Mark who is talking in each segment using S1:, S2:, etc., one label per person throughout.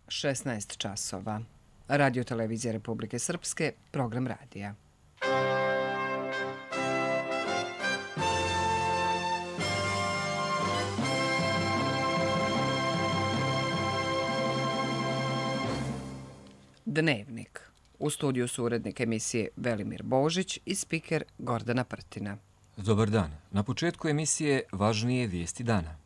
S1: 16 časova. Radio Televizija Republike Srpske, program radija. Dnevnik. U studiju su urednik emisije Velimir Božić i spiker Gordana Prtina.
S2: Dobar dan. Na početku emisije važnije vijesti dana.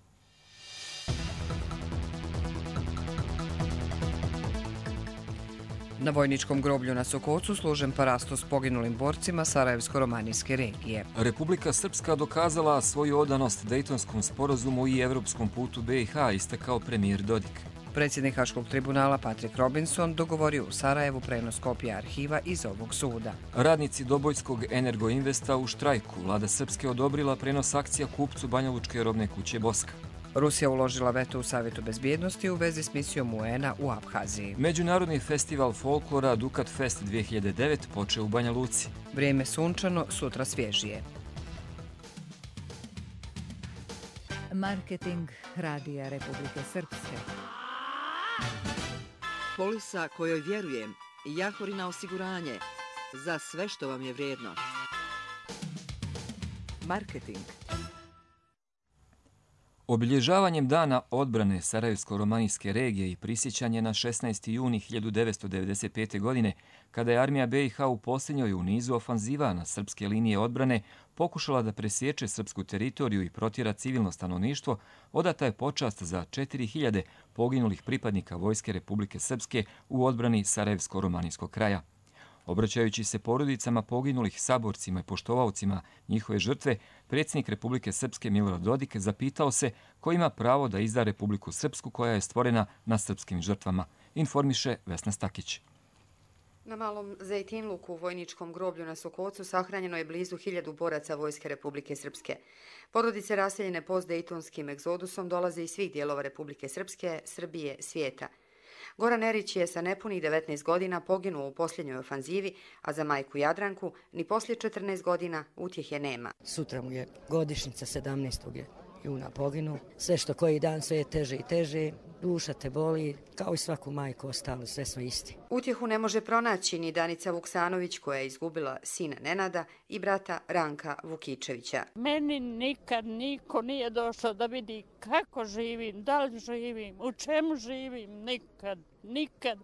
S1: Na vojničkom groblju na Sokocu služen parastos poginulim borcima Sarajevsko-romanijske regije.
S2: Republika Srpska dokazala svoju odanost Dejtonskom sporazumu i evropskom putu BiH, istakao premijer Dodik.
S1: Predsjednik Haškog tribunala Patrick Robinson dogovorio u Sarajevu prenos kopija arhiva iz ovog suda.
S2: Radnici Dobojskog Energoinvesta u štrajku. Vlada Srpske odobrila prenos akcija kupcu Banjalučke robne kuće Boska.
S1: Rusija uložila veto u Savjetu bezbjednosti u vezi s misijom UN-a u Abhaziji.
S2: Međunarodni festival folklora Dukat Fest 2009 počeo u Banja Luci.
S1: Vrijeme sunčano, sutra svježije.
S3: Marketing Radija Republike Srpske.
S4: Polisa kojoj vjerujem, Jahorina osiguranje, za sve što vam je vrijedno. Marketing.
S2: Obilježavanjem Dana odbrane Sarajevsko-romanijske regije i prisjećanje na 16. juni 1995. godine, kada je armija BiH u posljednjoj u nizu ofanziva na srpske linije odbrane pokušala da presječe srpsku teritoriju i protjera civilno stanovništvo, odata je počast za 4000 poginulih pripadnika Vojske Republike Srpske u odbrani Sarajevsko-romanijskog kraja. Obraćajući se porodicama poginulih, saborcima i poštovaocima njihove žrtve, predsjednik Republike Srpske Milorad Dodik zapitao se ko ima pravo da izda Republiku Srpsku koja je stvorena na srpskim žrtvama, informiše Vesna Stakić.
S5: Na Malom Zejtinluku u vojničkom groblju na Sokocu sahranjeno je blizu 1000 boraca Vojske Republike Srpske. Porodice raseljene postdejtonskim egzodusom dolaze iz svih dijelova Republike Srpske, Srbije, svijeta. Goran Erić je sa nepunih 19 godina poginuo u posljednjoj ofanzivi, a za majku Jadranku ni poslije 14 godina utjehe nema.
S6: Sutra mu je godišnjica 17. juna poginuo. Sve što koji dan sve je teže i teže, duša te boli, kao i svaku majku ostalo, sve smo isti.
S5: Utjehu ne može pronaći ni Danica Vuksanović koja je izgubila sina Nenada i brata Ranka Vukičevića.
S7: Meni nikad niko nije došao da vidi kako živim, da li živim, u čemu živim, nikad.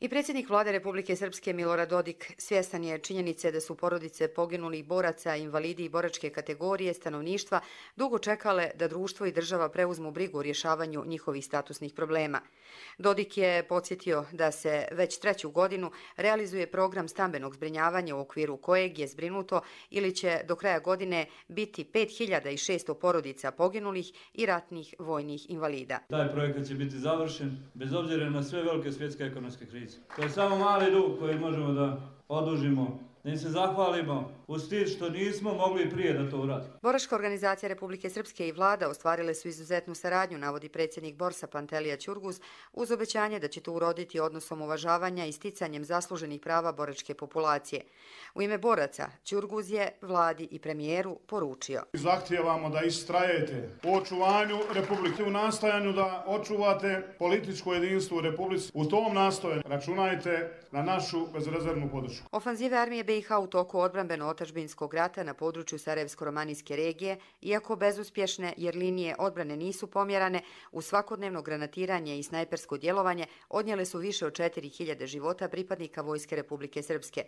S5: I predsjednik Vlade Republike Srpske Milorad Dodik svjestan je činjenice da su porodice poginulih boraca, invalidi i boračke kategorije stanovništva dugo čekale da društvo i država preuzmu brigu u rješavanju njihovih statusnih problema. Dodik je podsjetio da se već 3. godinu realizuje program stambenog zbrinjavanja u okviru kojeg je zbrinuto ili će do kraja godine biti 5600 porodica poginulih i ratnih vojnih invalida.
S8: Taj projekat će biti završen bez obzira na sve velike svjetske ekonomske krize. To je samo mali dug koji možemo da odužimo, da im se zahvalimo uz tim što nismo mogli prije da to uradimo.
S5: Boračka organizacija Republike Srpske i vlada ostvarile su izuzetnu saradnju, navodi predsjednik Borsa Pantelija Ćurguz, uz obećanje da će to uroditi odnosom uvažavanja i sticanjem zasluženih prava boračke populacije. U ime boraca Ćurguz je vladi i premijeru poručio:
S9: Zahtijevamo da istrajete u očuvanju Republike, u nastojanju da očuvate političko jedinstvo u Republici. U tom nastojanju računajte na našu bezrezervnu podršku.
S5: Ofanzive armije BiH u toku odbrambeno-otadžbinskog rata na području Sarajevsko-romanijske regije, iako bezuspješne jer linije odbrane nisu pomjerane, u svakodnevno granatiranje i snajpersko djelovanje odnijele su više od 4000 života pripadnika Vojske Republike Srpske.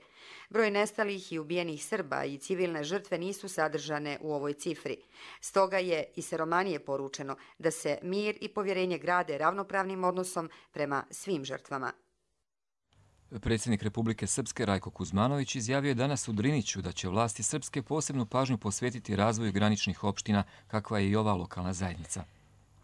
S5: Broj nestalih i ubijenih Srba i civilne žrtve nisu sadržane u ovoj cifri. Stoga je i sa Romanije poručeno da se mir i povjerenje grade ravnopravnim odnosom prema svim žrtvama.
S2: Predsjednik Republike Srpske Rajko Kuzmanović izjavio je danas u Driniću da će vlasti Srpske posebnu pažnju posvetiti razvoju graničnih opština, kakva je i ova lokalna zajednica.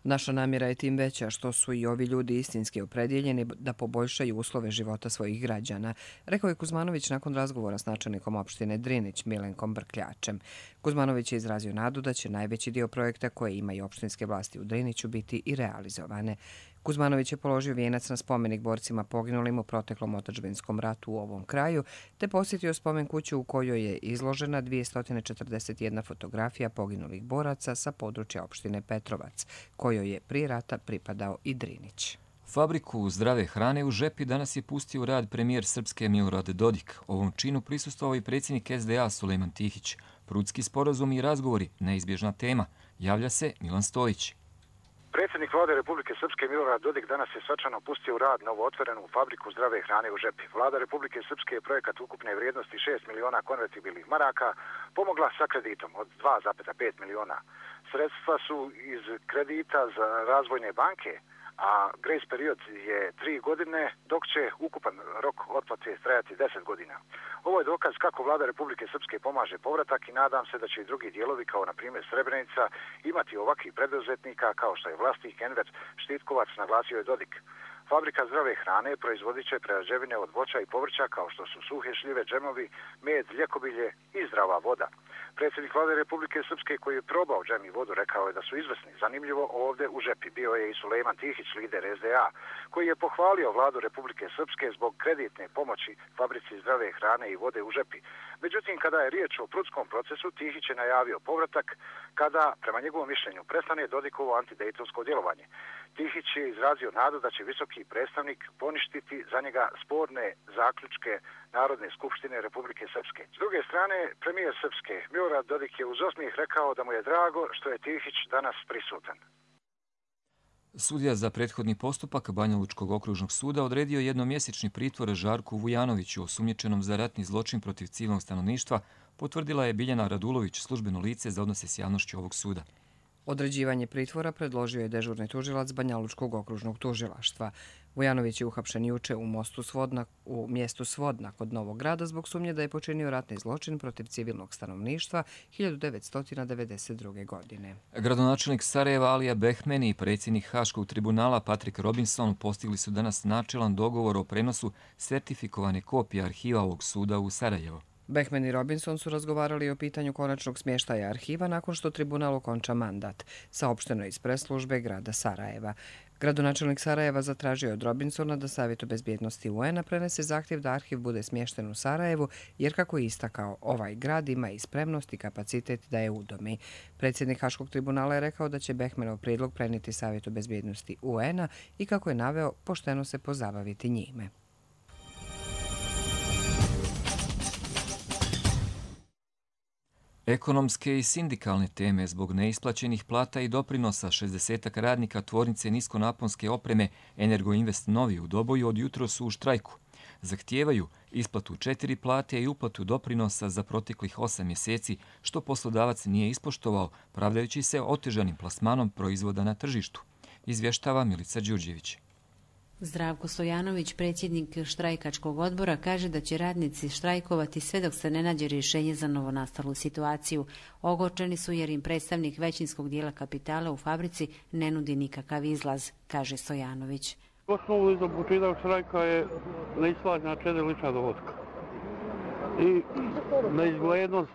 S1: Naša namjera je tim veća što su i ovi ljudi istinski opredjeljeni da poboljšaju uslove života svojih građana, rekao je Kuzmanović nakon razgovora s načelnikom opštine Drinić Milenkom Brkljačem. Kuzmanović je izrazio nadu da će najveći dio projekta koje imaju opštinske vlasti u Driniću biti i realizovane. Kuzmanović je položio vijenac na spomenik borcima poginulim u proteklom otadžbinskom ratu u ovom kraju, te posjetio spomen kuću u kojoj je izložena 241 fotografija poginulih boraca sa područja opštine Petrovac, kojoj je prije rata pripadao i Drinić.
S2: Fabriku zdrave hrane u Žepi danas je pustio u rad premijer Srpske Milorad Dodik. Ovom činu prisustvovao i predsjednik SDA Sulejman Tihić. Prudski sporazum i razgovori, neizbježna tema. Javlja se Milan Stojić.
S10: Predsjednik vlade Republike Srpske Milorad Dodik danas je svečano pustio u rad novootvorenu fabriku zdrave hrane u Žepi. Vlada Republike Srpske je projekat ukupne vrijednosti 6 miliona konvertibilnih maraka pomogla sa kreditom od 2,5 miliona. Sredstva su iz kredita za razvojne banke, a grace period je 3 godine, dok će ukupan rok otplate trajati 10 godina. Ovo je dokaz kako vlada Republike Srpske pomaže povratak i nadam se da će i drugi dijelovi, kao na primjer Srebrenica, imati ovakvih preduzetnika kao što je vlasnik Enver Štitkovac, naglasio je Dodik. Fabrika zdrave hrane proizvodit će prerađevine od voća i povrća kao što su suhe šljive, džemovi, med, ljekobilje i zdrava voda. Predsjednik vlade Republike Srpske koji je probao džem i vodu rekao je da su izvrsni. Zanimljivo, ovdje u Žepi bio je i Sulejman Tihić, lider SDA, koji je pohvalio vladu Republike Srpske zbog kreditne pomoći fabrici zdrave hrane i vode u Žepi. Međutim, kada je riječ o prudskom procesu, Tihić je najavio povratak kada, prema njegovom mišljenju, prestane Dodikovo antidejtonsko djelovanje. Tihić je izrazio nadu da će visoki predstavnik poništiti za njega sporne zaključke Narodne skupštine Republike Srpske. S druge strane, premijer Srpske Milorad Dodik je uz osmijeh rekao da mu je drago što je Tihić danas prisutan.
S2: Sudija za prethodni postupak Banjalučkog okružnog suda odredio jednomjesečni pritvor Žarku Vujanoviću, osumnjičenom za ratni zločin protiv civilnog stanovništva, potvrdila je Biljana Radulović, službeno lice za odnose s javnošću ovog suda.
S1: Određivanje pritvora predložio je dežurni tužilac Banjalučkog okružnog tužilaštva. Vujanović je uhapšen juče u mjestu Svodna kod Novog Grada zbog sumnje da je počinio ratni zločin protiv civilnog stanovništva 1992. godine.
S2: Gradonačelnik Sarajeva Alija Behmeni i predsjednik Haškog tribunala Patrick Robinson postigli su danas načelan dogovor o prenosu sertifikovane kopije arhiva ovog suda u Sarajevo.
S1: Behmeni i Robinson su razgovarali o pitanju konačnog smještaja arhiva nakon što tribunal okonča mandat, saopšteno iz press-službe grada Sarajeva. Gradonačelnik Sarajeva zatražio je od Robinsona da Savjetu bezbjednosti UN-a prenese zahtjev da arhiv bude smješten u Sarajevu, jer kako je istakao, ovaj grad ima i spremnost i kapacitet da je udomi. Predsjednik Haškog tribunala je rekao da će Behmenov prijedlog prenijeti Savjetu bezbjednosti UN-a i kako je naveo, pošteno se pozabaviti njime.
S2: Ekonomske i sindikalne teme zbog neisplaćenih plata i doprinosa 60 radnika tvornice niskonaponske opreme Energoinvest Novi u Doboju od jutro su u štrajku. Zahtijevaju isplatu 4 plate i uplatu doprinosa za proteklih 8 mjeseci, što poslodavac nije ispoštovao, pravdajući se otežanim plasmanom proizvoda na tržištu, izvještava Milica Đurđević.
S11: Zdravko Stojanović, predsjednik štrajkačkog odbora, kaže da će radnici štrajkovati sve dok se ne nađe rješenje za novonastalu situaciju. Ogorčeni su jer im predstavnik većinskog dijela kapitala u fabrici ne nudi nikakav izlaz, kaže Stojanović.
S12: Osnovu za početak štrajka je neisplaćena 4 lična dohotka i neizglednost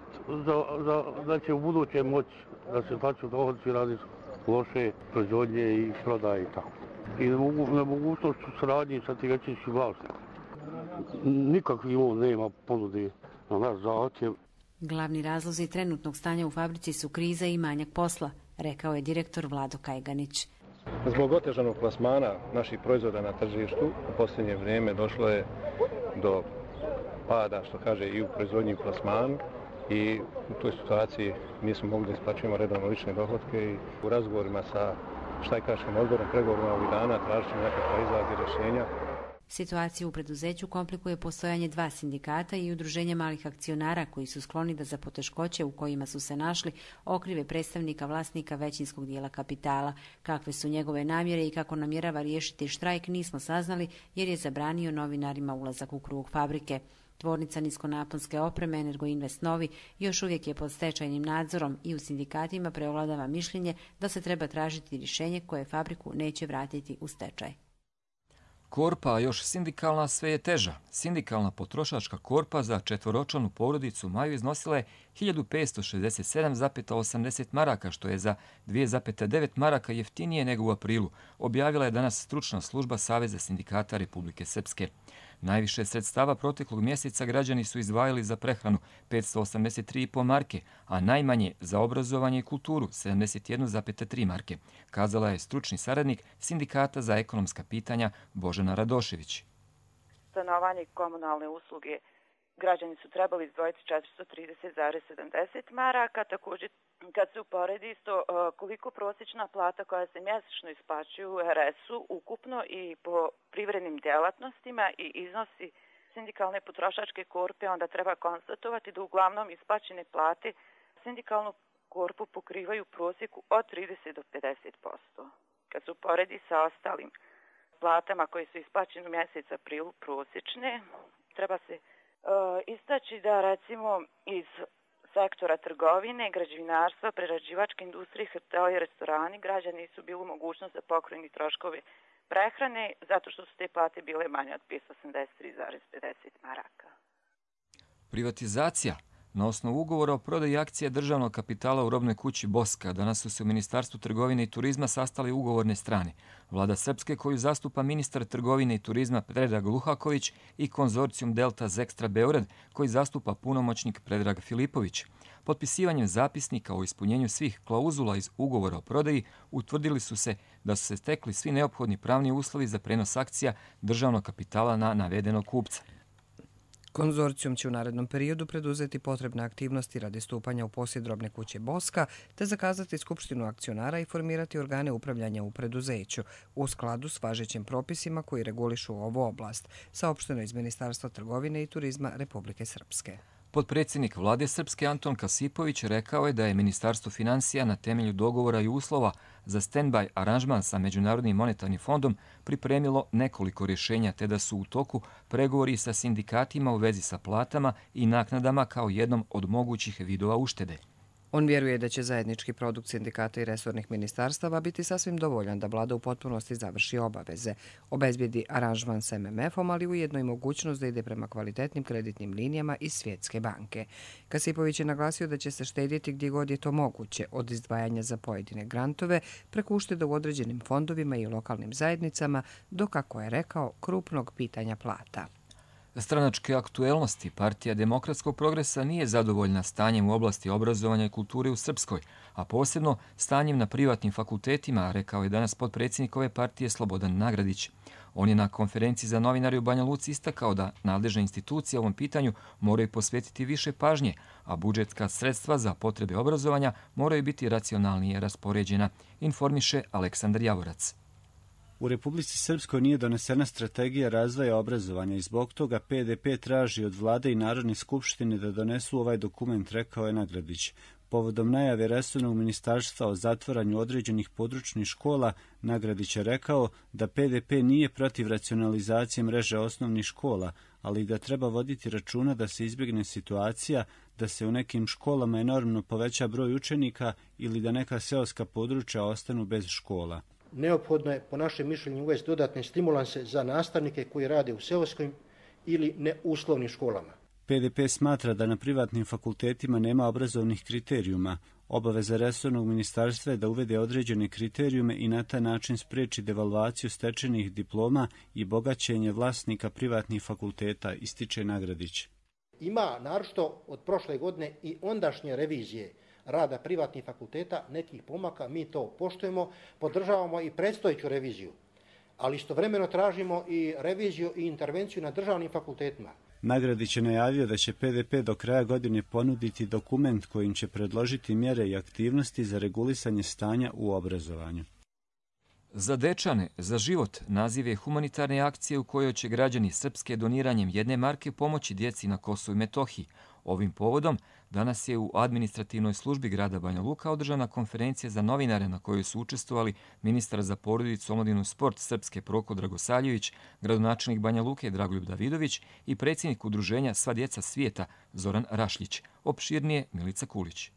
S12: da će u buduće moći da se plaću dohodci radi loše proizvodnje i prodaje i tako. I nemogućnost u saradnji sa tim većinskim vlasnikom. Nikakvih nema ponude na naš zahtjev.
S11: Glavni razlozi trenutnog stanja u fabrici su kriza i manjak posla, rekao je direktor Vlado Kajganić.
S13: Zbog otežanog plasmana naših proizvoda na tržištu u posljednje vrijeme došlo je do pada, što kaže, i u proizvodnji i plasmanu. I u toj situaciji nismo mogli da isplaćujemo redovno lične dohotke i u razgovorima sa štrajkaškim odborom, pregovorima ovih dana, tražit ćemo nekakva izlaz i rješenja.
S11: Situaciju u preduzeću komplikuje postojanje 2 sindikata i udruženja malih akcionara koji su skloni da za poteškoće u kojima su se našli okrive predstavnika vlasnika većinskog dijela kapitala. Kakve su njegove namjere i kako namjerava riješiti štrajk nismo saznali jer je zabranio novinarima ulazak u krug fabrike. Tvornica niskonaponske opreme Energoinvest Novi još uvijek je pod stečajnim nadzorom i u sindikatima preovladava mišljenje da se treba tražiti rješenje koje fabriku neće vratiti u stečaj.
S2: Korpa, a još sindikalna, sve je teža. Sindikalna potrošačka korpa za četvoročlanu porodicu Maju iznosila je 1567,80 maraka, što je za 2,9 maraka jeftinije nego u aprilu, objavila je danas stručna služba Saveza sindikata Republike Srpske. Najviše sredstava proteklog mjeseca građani su izdvajali za prehranu 583,5 marke, a najmanje za obrazovanje i kulturu 71,3 marke, kazala je stručni saradnik Sindikata za ekonomska pitanja Božena Radošević.
S14: Stanovanje i komunalne usluge građani su trebali izdvojiti 430,70 maraka. Također, kad se uporedi isto koliko prosječna plata koja se mjesečno isplaćuje u RS-u ukupno i po privrednim djelatnostima i iznosi sindikalne potrošačke korpe, onda treba konstatovati da uglavnom isplaćene plate sindikalnu korpu pokrivaju u prosjeku od 30 do 50%. Kad se uporedi sa ostalim platama koje su isplaćene u mjesec aprilu prosječne, treba se istaći da recimo iz sektora trgovine, građevinarstva, prerađivačke industrije, hoteli i restorani građani nisu bili u mogućnost da pokriju troškove prehrane zato što su te plate bile manje od 583,50 maraka.
S2: Privatizacija. Na osnovu ugovora o prodaji akcija državnog kapitala u robnoj kući Boska danas su se u Ministarstvu trgovine i turizma sastali ugovorne strane. Vlada Srpske, koju zastupa ministar trgovine i turizma Predrag Luhaković, i konzorcijum Delta Zextra Beograd, koji zastupa punomoćnik Predrag Filipović. Potpisivanjem zapisnika o ispunjenju svih klauzula iz ugovora o prodaji utvrdili su se da su se stekli svi neophodni pravni uslovi za prenos akcija državnog kapitala na navedenog kupca.
S1: Konzorcijum će u narednom periodu preduzeti potrebne aktivnosti radi stupanja u posjed robne kuće Boska, te zakazati skupštinu akcionara i formirati organe upravljanja u preduzeću, u skladu s važećim propisima koji regulišu ovu oblast, saopšteno iz Ministarstva trgovine i turizma Republike Srpske.
S2: Potpredsjednik Vlade Srpske Anton Kasipović rekao je da je Ministarstvo finansija na temelju dogovora i uslova za stand-by aranžman sa Međunarodnim monetarnim fondom pripremilo nekoliko rješenja, te da su u toku pregovori sa sindikatima u vezi sa platama i naknadama kao jednom od mogućih vidova uštede.
S1: On vjeruje da će zajednički produkt sindikata i resornih ministarstava biti sasvim dovoljan da vlada u potpunosti završi obaveze, obezbijedi aranžman s MMF-om, ali ujedno i mogućnost da ide prema kvalitetnim kreditnim linijama iz Svjetske banke. Kasipović je naglasio da će se štedjeti gdje god je to moguće, od izdvajanja za pojedine grantove, preko ušteda u određenim fondovima i lokalnim zajednicama, do, kako je rekao, krupnog pitanja plata.
S2: Stranačke aktuelnosti Partija demokratskog progresa nije zadovoljna stanjem u oblasti obrazovanja i kulture u Srpskoj, a posebno stanjem na privatnim fakultetima, rekao je danas potpredsjednik ove partije Slobodan Nagradić. On je na konferenciji za novinare u Banja Luci istakao da nadležne institucije ovom pitanju moraju posvetiti više pažnje, a budžetska sredstva za potrebe obrazovanja moraju biti racionalnije raspoređena, informiše Aleksandar Javorac.
S15: U Republici Srpskoj nije donesena strategija razvoja obrazovanja i zbog toga PDP traži od vlade i Narodne skupštine da donesu ovaj dokument, rekao je Nagradić. Povodom najave resornog ministarstva o zatvaranju određenih područnih škola, Nagradić je rekao da PDP nije protiv racionalizacije mreže osnovnih škola, ali da treba voditi računa da se izbjegne situacija da se u nekim školama enormno poveća broj učenika ili da neka seoska područja ostanu bez škola.
S16: Neophodno je, po našem mišljenju, uvesti dodatne stimulanse za nastavnike koji rade u seoskim ili neuslovnim školama.
S15: PDP smatra da na privatnim fakultetima nema obrazovnih kriterijuma. Obaveza resornog ministarstva je da uvede određene kriterijume i na taj način spreči devalvaciju stečenih diploma i bogaćenje vlasnika privatnih fakulteta, ističe Nagradić.
S16: Ima, naročito od prošle godine i ondašnje revizije rada privatnih fakulteta, nekih pomaka, mi to poštujemo, podržavamo i predstojeću reviziju, ali istovremeno tražimo i reviziju i intervenciju na državnim fakultetima.
S15: Nagradić je najavio da će PDP do kraja godine ponuditi dokument kojim će predložiti mjere i aktivnosti za regulisanje stanja u obrazovanju.
S2: Za dečane, za život naziv je humanitarne akcije u kojoj će građani Srpske doniranjem 1 marke pomoći djeci na Kosovu i Metohiji. Ovim povodom danas je u administrativnoj službi grada Banja Luka održana konferencija za novinare na kojoj su učestvovali ministar za porodicu, omladinu i sport Srpske Proko Dragosavljević, gradonačelnik Banja Luke Dragoljub Davidović i predsjednik udruženja Sva djeca svijeta Zoran Rašljić. Opširnije Milica Kulić.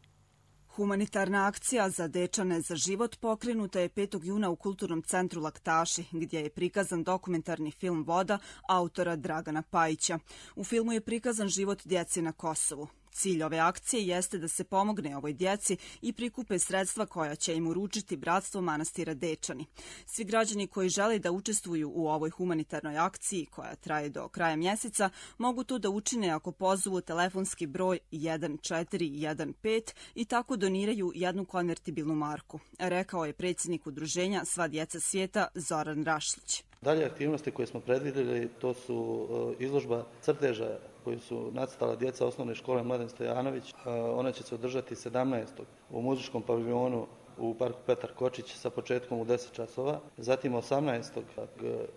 S17: Humanitarna akcija za dečane za život pokrenuta je 5. juna u Kulturnom centru Laktaši, gdje je prikazan dokumentarni film Voda autora Dragana Pajića. U filmu je prikazan život djece na Kosovu. Cilj ove akcije jeste da se pomogne ovoj djeci i prikupe sredstva koja će im uručiti Bratstvo manastira Dečani. Svi građani koji žele da učestvuju u ovoj humanitarnoj akciji, koja traje do kraja mjeseca, mogu to da učine ako pozovu telefonski broj 1415 i tako doniraju jednu konvertibilnu marku, rekao je predsjednik udruženja Sva djeca svijeta Zoran Rašlić.
S18: Dalje aktivnosti koje smo predvidjeli, to su izložba crteža koju su nacrtala djeca osnovne škole Mladen Stojanović. Ona će se održati 17. u muzičkom paviljonu u parku Petar Kočić sa početkom u 10 časova. Zatim 18.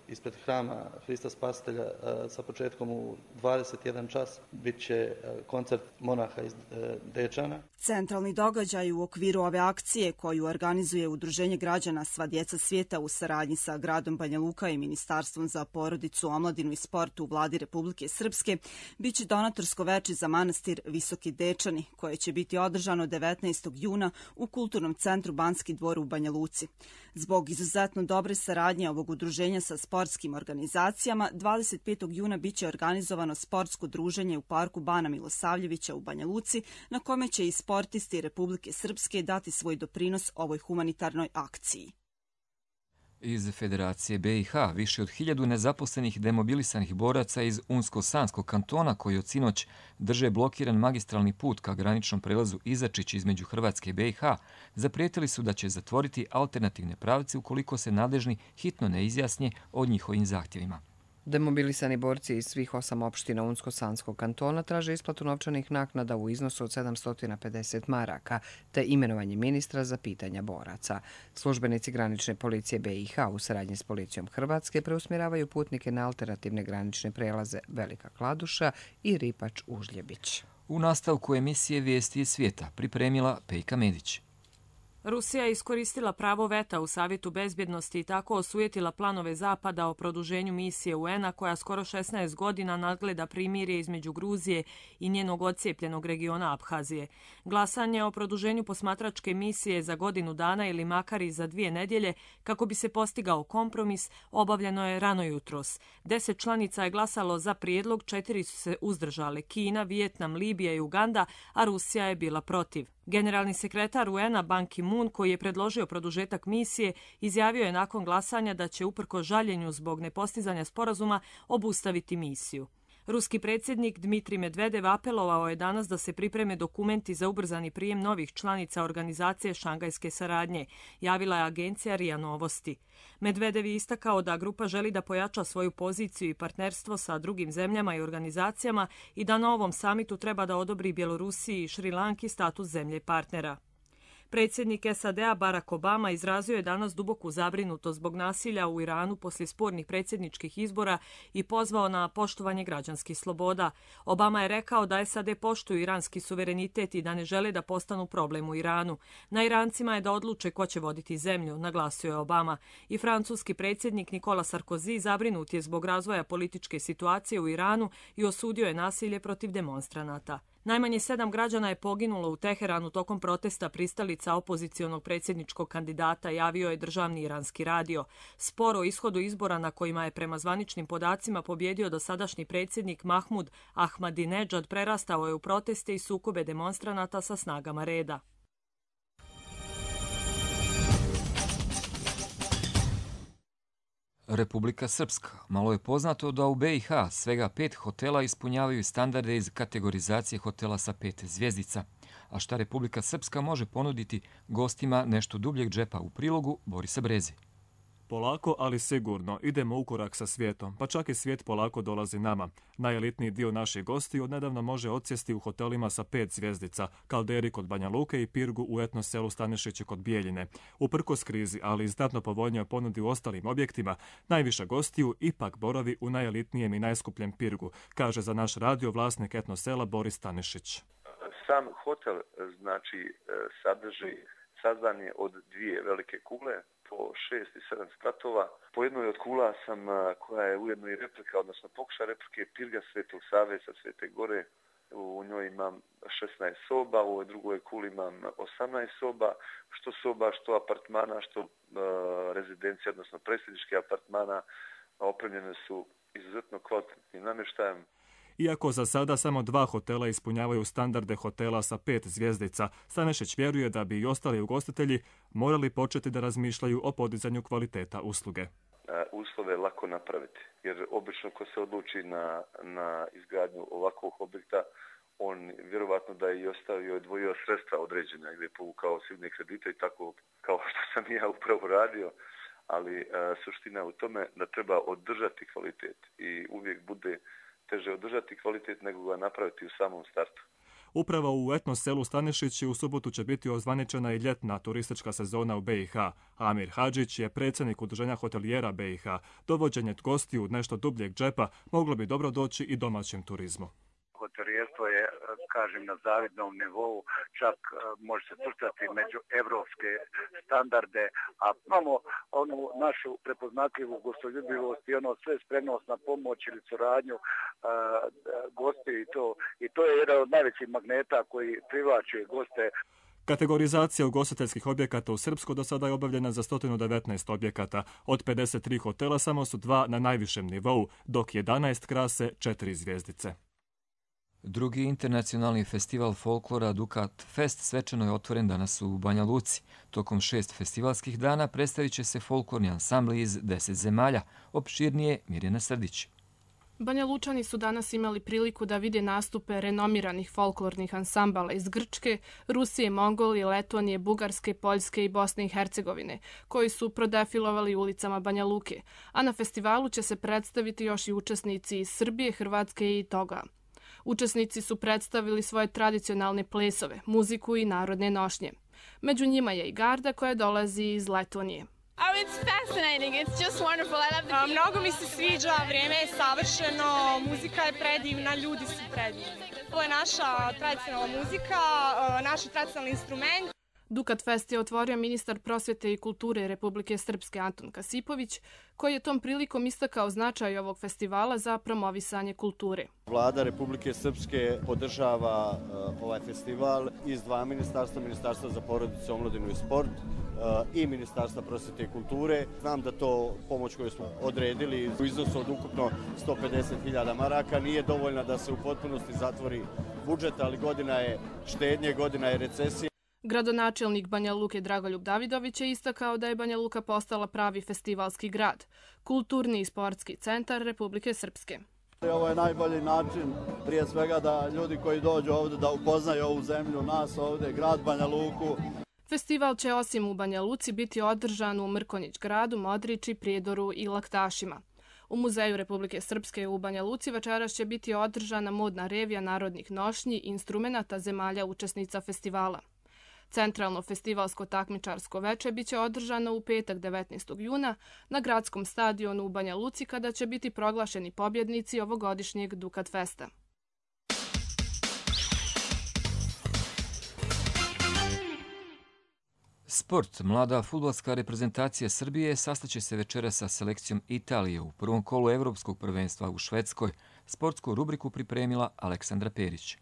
S18: ispred hrama Hrista Spasitelja sa početkom u 21 čas bit će koncert monaha iz Dečana.
S17: Centralni događaj u okviru ove akcije koju organizuje Udruženje građana Sva djeca svijeta u saradnji sa gradom Banja Luka i Ministarstvom za porodicu, omladinu i sport u Vladi Republike Srpske biće donatorsko veče za manastir Visoki Dečani, koje će biti održano 19. juna u Kulturnom centru Banski dvor u Banja Luci. Zbog izuzetno dobre saradnje ovog udruženja sa sportskim organizacijama, 25. juna biće organizovano sportsko druženje u parku Bana Milosavljevića u Banja Luci, na kome će i sportisti Republike Srpske dati svoj doprinos ovoj humanitarnoj akciji.
S2: Iz Federacije BiH više od 1000 nezaposlenih demobilisanih boraca iz Unsko-Sanskog kantona koji od sinoć drže blokiran magistralni put ka graničnom prelazu Izačić između Hrvatske i BiH zaprijetili su da će zatvoriti alternativne pravce ukoliko se nadležni hitno ne izjasnje o njihovim zahtjevima.
S1: Demobilisani borci iz svih 8 opština Unsko-Sanskog kantona traže isplatu novčanih naknada u iznosu od 750 maraka, te imenovanje ministra za pitanja boraca. Službenici granične policije BiH u saradnji s policijom Hrvatske preusmjeravaju putnike na alternativne granične prelaze Velika Kladuša i Ripač Užljebić.
S2: U nastavku emisije Vijesti iz svijeta pripremila Pejka Medić.
S19: Rusija je iskoristila pravo veta u Savjetu bezbjednosti i tako osujetila planove Zapada o produženju misije UN-a koja skoro 16 godina nadgleda primirje između Gruzije i njenog odcijepljenog regiona Abhazije. Glasanje o produženju posmatračke misije za godinu dana ili makar i za 2 nedjelje kako bi se postigao kompromis obavljeno je rano jutros. 10 članica je glasalo za prijedlog, 4 su se uzdržale: Kina, Vijetnam, Libija i Uganda, a Rusija je bila protiv. Generalni sekretar UN-a Ban Ki-moon, koji je predložio produžetak misije, izjavio je nakon glasanja da će uprkos žaljenju zbog nepostizanja sporazuma obustaviti misiju. Ruski predsjednik Dmitrij Medvedev apelovao je danas da se pripreme dokumenti za ubrzani prijem novih članica organizacije Šangajske saradnje, javila je agencija RIA Novosti. Medvedev je istakao da grupa želi da pojača svoju poziciju i partnerstvo sa drugim zemljama i organizacijama i da na ovom samitu treba da odobri Bjelorusiji i Šrilanki status zemlje partnera. Predsjednik SAD-a Barack Obama izrazio je danas duboku zabrinutost zbog nasilja u Iranu poslije spornih predsjedničkih izbora i pozvao na poštovanje građanskih sloboda. Obama je rekao da SAD poštuju iranski suverenitet i da ne žele da postanu problem u Iranu. Na Irancima je da odluče ko će voditi zemlju, naglasio je Obama. I francuski predsjednik Nicolas Sarkozy zabrinut je zbog razvoja političke situacije u Iranu i osudio je nasilje protiv demonstranata. Najmanje 7 građana je poginulo u Teheranu tokom protesta pristalica opozicionog predsjedničkog kandidata, javio je državni iranski radio. Spor o ishodu izbora na kojima je prema zvaničnim podacima pobjedio dosadašnji predsjednik Mahmud Ahmadinejad prerastao je u proteste i sukobe demonstranata sa snagama reda.
S2: Republika Srpska. Malo je poznato da u BiH svega 5 hotela ispunjavaju standarde iz kategorizacije hotela sa 5 zvjezdica. A šta Republika Srpska može ponuditi gostima nešto dubljeg džepa u prilogu Borisa Brezi?
S20: Polako, ali sigurno, idemo u korak sa svijetom, pa čak i svijet polako dolazi nama. Najelitniji dio naših gostiju odnedavno može odsjesti u hotelima sa 5 zvjezdica, Kalderi kod Banja Luke i Pirgu u etno selu Stanišiće kod Bijeljine. Uprkos krizi, ali i znatno povoljnijoj ponudi u ostalim objektima, najviša gostiju ipak boravi u najelitnijem i najskupljem Pirgu, kaže za naš radio vlasnik etno sela Boris Stanišić.
S21: Sam hotel sadrži sazdanje od 2 velike kugle, po 6 i 7 spratova. Po jednoj od kula koja je ujedno i replika, odnosno pokušaj replike Pirga Svetog Save sa Svete Gore. U njoj imam 16 soba, u ovoj drugoj kuli imam 18 soba, što soba, što apartmana, što rezidencija, odnosno predsjedničkih apartmana, opremljene su izuzetno kvalitetnim namještajem.
S20: Iako za sada samo 2 hotela ispunjavaju standarde hotela sa 5 zvjezdica, Stanešić vjeruje da bi i ostali ugostitelji morali početi da razmišljaju o podizanju kvaliteta usluge.
S21: Uslove je lako napraviti, jer obično ko se odluči na izgradnju ovakvog objekta, on vjerovatno da je i ostavio, odvojio sredstva određena ili je povukao silne kredite i tako kao što sam ja upravo radio, ali suština je u tome da treba održati kvalitet i uvijek bude teže održati kvalitet nego ga napraviti u samom startu.
S20: Upravo u etno selu Stanešići u subotu će biti ozvaničena i ljetna turistička sezona u BiH. Amir Hadžić je predsjednik Udruženja hotelijera BiH. Dovođenje gostiju nešto dubljeg džepa moglo bi dobro doći i domaćem turizmu.
S3: Hotelijerstvo je, kažem, na zavidnom nivou, čak može se svrstati među evropske standarde, a imamo onu našu prepoznatljivu gostoljubivost i ono sve spremnost na pomoć ili suradnju gosti i to je jedan od najvećih magneta koji privlači goste.
S20: Kategorizacija ugostiteljskih objekata u Srpskoj do sada je obavljena za 119 objekata. Od 53 hotela samo su 2 na najvišem nivou, dok 11 krase 4 zvjezdice.
S2: Drugi internacionalni festival folklora Dukat Fest svečano je otvoren danas u Banja Luci. Tokom 6 festivalskih dana predstavit će se folklorni ansambli iz 10 zemalja. Opširnije Mirjana Srdić.
S22: Banja Lučani su danas imali priliku da vide nastupe renomiranih folklornih ansambala iz Grčke, Rusije, Mongolije, Letonije, Bugarske, Poljske i Bosne i Hercegovine, koji su prodefilovali ulicama Banja Luke, a na festivalu će se predstaviti još i učesnici iz Srbije, Hrvatske i Toga. Učesnici su predstavili svoje tradicionalne plesove, muziku i narodne nošnje. Među njima je i garda koja dolazi iz Letonije.
S23: Mnogo mi se sviđa, vrijeme je savršeno, muzika je predivna, ljudi su predivni. Ovo je naša tradicionalna muzika, naš tradicionalni instrument.
S22: Dukat Fest je otvorio ministar prosvjete i kulture Republike Srpske Anton Kasipović, koji je tom prilikom istakao značaj ovog festivala za promovisanje kulture.
S24: Vlada Republike Srpske podržava ovaj festival iz 2 ministarstva, Ministarstva za porodicu, omladinu i sport i Ministarstva prosvjete i kulture. Znam da to pomoć koju smo odredili u iznosu od ukupno 150.000 maraka nije dovoljna da se u potpunosti zatvori budžet, ali godina je štednje, godina je recesije.
S22: Gradonačelnik Banja Luke Dragoljub Davidović je istakao da je Banja Luka postala pravi festivalski grad, kulturni i sportski centar Republike Srpske.
S25: Ovo je najbolji način, prije svega, da ljudi koji dođu ovdje da upoznaju ovu zemlju, nas ovdje, grad Banja Luku.
S22: Festival će osim u Banja Luci biti održan u Mrkonjić gradu, Modriči, Prijedoru i Laktašima. U Muzeju Republike Srpske u Banja Luci večeras će biti održana modna revija narodnih nošnji i instrumenata zemalja učesnica festivala. Centralno festivalsko takmičarsko veče biće održano u petak 19. juna na gradskom stadionu u Banja Luci kada će biti proglašeni pobjednici ovogodišnjeg Dukat Festa.
S2: Sport. Mlada fudbalska reprezentacija Srbije sastaće se večera sa selekcijom Italije u prvom kolu Evropskog prvenstva u Švedskoj. Sportsku rubriku pripremila Aleksandra Perić.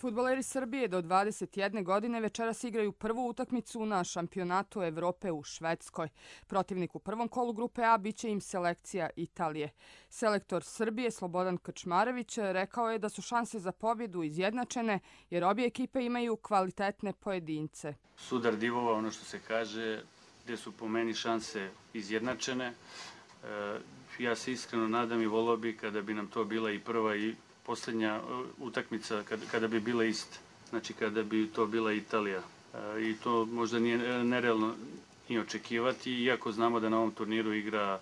S26: Fudbaleri Srbije do 21 godine večeras igraju prvu utakmicu na šampionatu Evrope u Švedskoj. Protivnik u prvom kolu grupe A biće im selekcija Italije. Selektor Srbije Slobodan Krčmarević rekao je da su šanse za pobjedu izjednačene jer obje ekipe imaju kvalitetne pojedince.
S27: Sudar divova, ono što se kaže, gdje su po meni šanse izjednačene. Ja se iskreno nadam i volio bi kada bi nam to bila i prva i posljednja utakmica kada bi bila ista, znači kada bi to bila Italija. I to možda nije nerealno i očekivati, iako znamo da na ovom turniru igra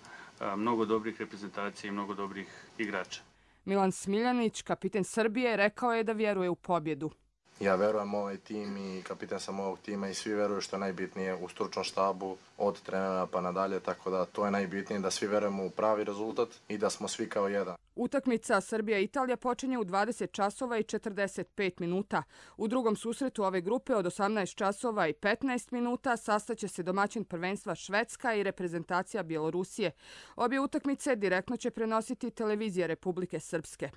S27: mnogo dobrih reprezentacija i mnogo dobrih igrača.
S26: Milan Smiljanić, kapiten Srbije, rekao je da vjeruje u pobjedu.
S28: Ja verujem u ovaj tim i kapitan sam ovog tima i svi veruju što je najbitnije u stručnom štabu od trenera pa nadalje, tako da to je najbitnije da svi verujemo u pravi rezultat i da smo svi kao jedan.
S26: Utakmica Srbija-Italija počinje u 20 časova i 45 minuta. U drugom susretu ove grupe od 18 časova i 15 minuta sastaće se domaćin prvenstva Švedska i reprezentacija Bjelorusije. Obje utakmice direktno će prenositi televizija Republike Srpske.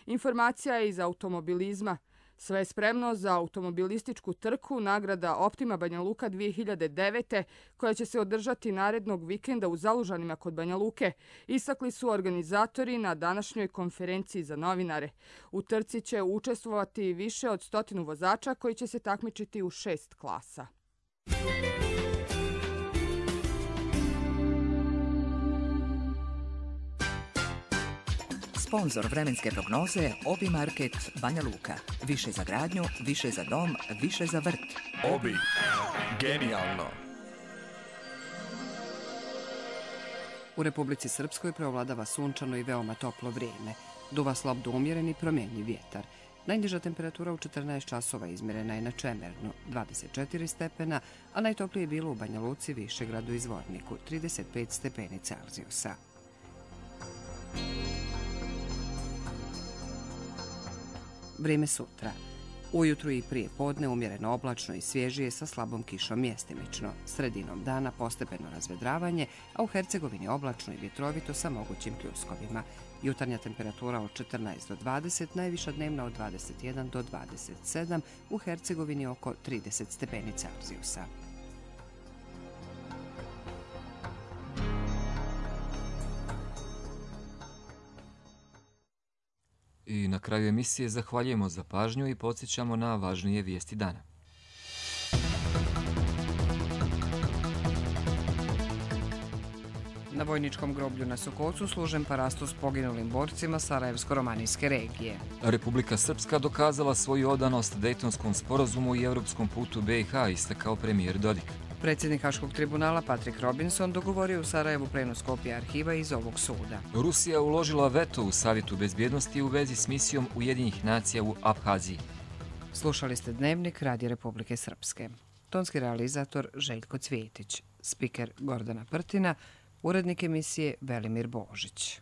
S26: Informacija je iz automobilizma. Sve je spremno za automobilističku trku nagrada Optima Banja Luka 2009. koja će se održati narednog vikenda u Zalužanima kod Banja Luke, istakli su organizatori na današnjoj konferenciji za novinare. U trci će učestvovati više od 100 vozača koji će se takmičiti u 6 klasa.
S4: Sponzor vremenske prognoze Obi Market Banja Luka. Više za gradnju, više za dom, više za vrt.
S5: Obi. Genijalno.
S1: U Republici Srpskoj preovladava sunčano i veoma toplo vrijeme. Duva slab do umjeren i promjenjiv vjetar. Najniža temperatura u 14 časova izmjerena je na Čemernu, 24 stepena, a najtoplije je bilo u Banja Luci, Višegradu i Zvorniku, 35 stepeni Celzijusa. Vrijeme sutra. Ujutru i prije podne umjereno oblačno i svježije sa slabom kišom mjestimično. Sredinom dana postepeno razvedravanje, a u Hercegovini oblačno i vjetrovito sa mogućim pljuskovima. Jutarnja temperatura od 14 do 20, najviša dnevna od 21 do 27, u Hercegovini oko 30 stepeni Celzijusa.
S2: I na kraju emisije zahvaljujemo za pažnju i podsjećamo na važnije vijesti dana.
S1: Na vojničkom groblju na Sokocu služen parastos poginulim borcima Sarajevsko-romanijske regije.
S2: Republika Srpska dokazala svoju odanost Dejtonskom sporazumu i europskom putu BiH, istakao premijer Dodik.
S1: Predsjednik Haškog tribunala Patrick Robinson dogovorio u Sarajevu prenos kopija arhiva iz ovog suda.
S2: Rusija uložila veto u Savjetu bezbjednosti u vezi s misijom Ujedinjenih nacija u Abhaziji.
S1: Slušali ste Dnevnik Radija Republike Srpske. Tonski realizator Željko Cvjetić, spiker Gordana Prtina, urednik emisije Velimir Božić.